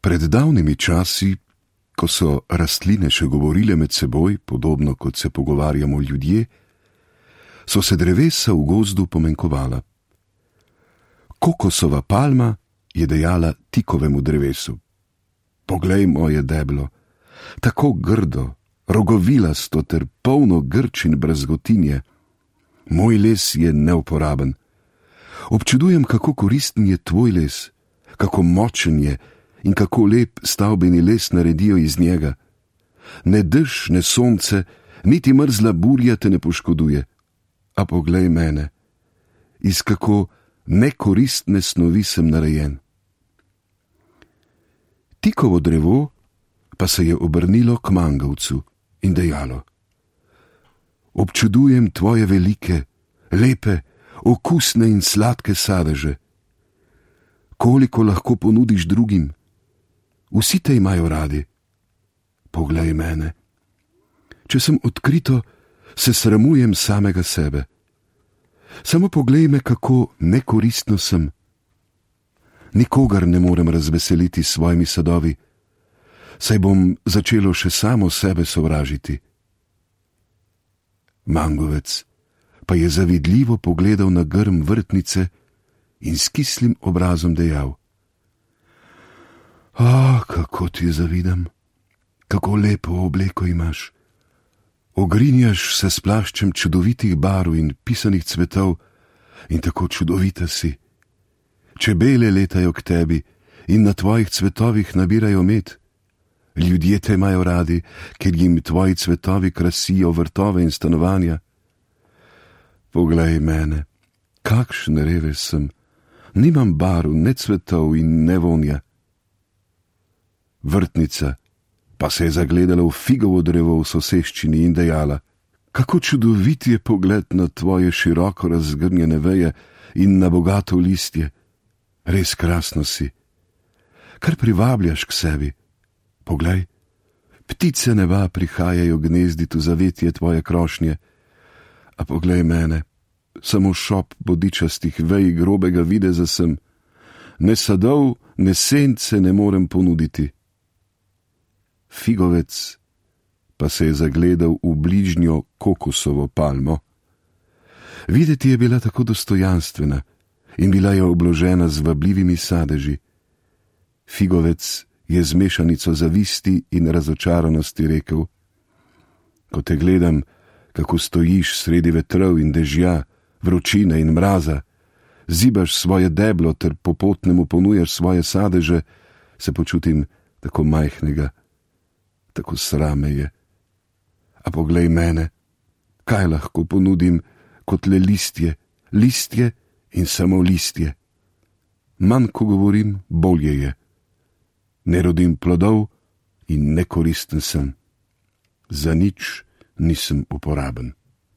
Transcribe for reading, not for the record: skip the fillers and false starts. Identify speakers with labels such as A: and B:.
A: Pred davnimi časi, ko so rastline še govorile med seboj, podobno kot se pogovarjamo ljudje, so se drevesa v gozdu pomenkovala. Kokosova palma je dejala tikovemu drevesu: "Poglej moje deblo, tako grdo, rogovilasto ter polno grč in brazgotinje. Moj les je neuporaben. Občudujem, kako koristen je tvoj les, kako močen je in kako lep stavbeni les naredijo iz njega. Ne dež, ne sonce, niti mrzla burja te ne poškoduje. A poglej mene, iz kako nekoristne snovi sem narejen." Tikovo drevo pa se je obrnilo k mangovcu in dejalo: "Občudujem tvoje velike, lepe, okusne in sladke sadeže. Koliko lahko ponudiš drugim? Vsi te imajo radi. Poglej mene. Če sem odkrito, se sramujem samega sebe. Samo poglej me, kako nekoristno sem. Nikogar ne morem razveseliti s svojimi sadovi, saj bom začelo še samo sebe sovražiti." Mangovec pa je zavidljivo pogledal na grm vrtnice in s kislim obrazom dejal: Kako ti zavidam, kako lepo obleko imaš. Ogrinjaš se s plaščem čudovitih barv in pisanih cvetov in tako čudovita si. Čebele letajo k tebi in na tvojih cvetovih nabirajo med. Ljudje te imajo radi, ker jim tvoji cvetovi krasijo vrtove in stanovanja. Poglej mene, kakšen revež sem, nimam barv, ne cvetov in ne vonja. Vrtnica pa se je zagledala v figovo drevo v soseščini in dejala: "Kako čudovit je pogled na tvoje široko razgrnjene veje in na bogato listje. Res krasno si. Kar privabljaš k sebi. Poglej, ptice neba prihajajo gnezdit v zavetje tvoje krošnje. A poglej mene, samo šop bodičastih vej grobega videza sem. Ne sadov, ne sence ne morem ponuditi." Figovec pa se je zagledal v bližnjo kokosovo palmo. Videti je bila tako dostojanstvena in bila je obložena z vabljivimi sadeži. Figovec je z mešanico zavisti in razočaranosti rekel: "Ko te gledam, kako stojiš sredi vetrov in dežja, vročine in mraza, zibaš svoje deblo ter popotnemu ponujaš svoje sadeže, se počutim tako majhnega, tako srame je. A poglej mene, kaj lahko ponudim kot le listje, listje in samo listje. Manj, ko govorim, bolje je. Ne rodim plodov in nekoristen sem. Za nič nisem uporaben."